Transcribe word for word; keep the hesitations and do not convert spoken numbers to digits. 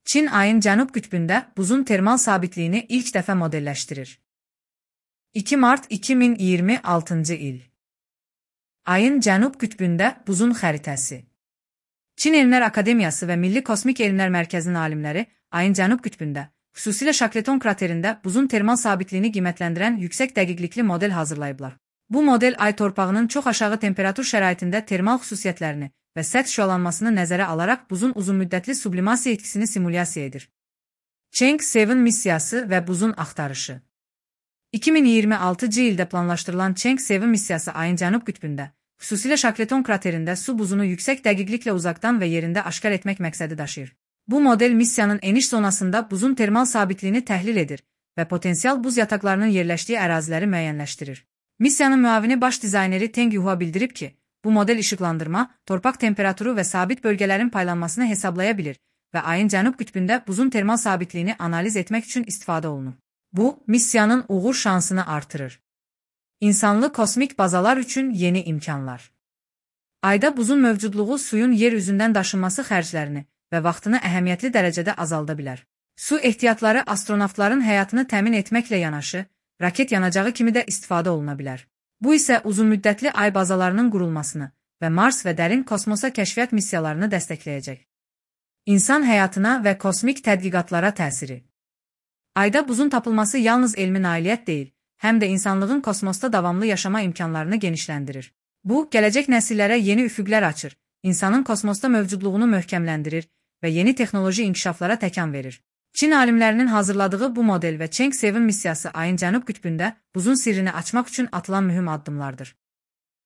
Çin ayın cənub qütbündə buzun termal sabitliyini ilk dəfə modelləşdirir. iki mart iki min iyirmi altıncı il. Ayın cənub qütbündə buzun xəritəsi. Çin Elmlər Akademiyası və Milli Kosmik Elmlər Mərkəzinin alimləri ayın cənub qütbündə, xüsusilə Şakleton kraterində buzun termal sabitliyini qiymətləndirən yüksək dəqiqlikli model hazırlayıblar. Bu model ay torpağının çox aşağı temperatur şəraitində termal xüsusiyyətlərini və səth şüalanmasını nəzərə alaraq buzun uzunmüddətli sublimasiya etkisini simulyasiya edir. Chang'e yeddi missiyası və buzun axtarışı. iki min iyirmi altıncı ildə planlaşdırılan Chang'e yeddi missiyası ayın cənub qütbündə, xüsusilə Şakleton kraterində su buzunu yüksək dəqiqliklə uzaqdan və yerində aşkar etmək məqsədi daşıyır. Bu model missiyanın eniş zonasında buzun termal sabitliyini təhlil edir və potensial buz yataqlarının yerləşdiyi əraziləri müəyyənləşdirir. Missiyanın müavini baş dizayneri Teng Yuhua bildirib ki, bu model işıqlandırma, torpaq temperaturu və sabit bölgələrin paylanmasını hesablaya bilir və ayın cənub qütbündə buzun termal sabitliyini analiz etmək üçün istifadə olunur. Bu, missiyanın uğur şansını artırır. İnsanlı kosmik bazalar üçün yeni imkanlar. Ayda buzun mövcudluğu suyun yer üzündən daşınması xərclərini və vaxtını əhəmiyyətli dərəcədə azalda bilər. Su ehtiyatları astronavtların həyatını təmin etməklə yanaşı, raket yanacağı kimi də istifadə oluna bilər. Bu isə uzunmüddətli ay bazalarının qurulmasını və Mars və dərin kosmosa kəşfiyyat missiyalarını dəstəkləyəcək. İnsan həyatına və kosmik tədqiqatlara təsiri. Ayda buzun tapılması yalnız elmi nailiyyət deyil, həm də insanlığın kosmosda davamlı yaşama imkanlarını genişləndirir. Bu, gələcək nəsillərə yeni üfüqlər açır, insanın kosmosda mövcudluğunu möhkəmləndirir və yeni texnoloji inkişaflara təkan verir. Çin alimlərinin hazırladığı bu model və Chang'e yeddi missiyası ayın cənub qütbündə buzun sirrini açmaq üçün atılan mühüm addımlardır.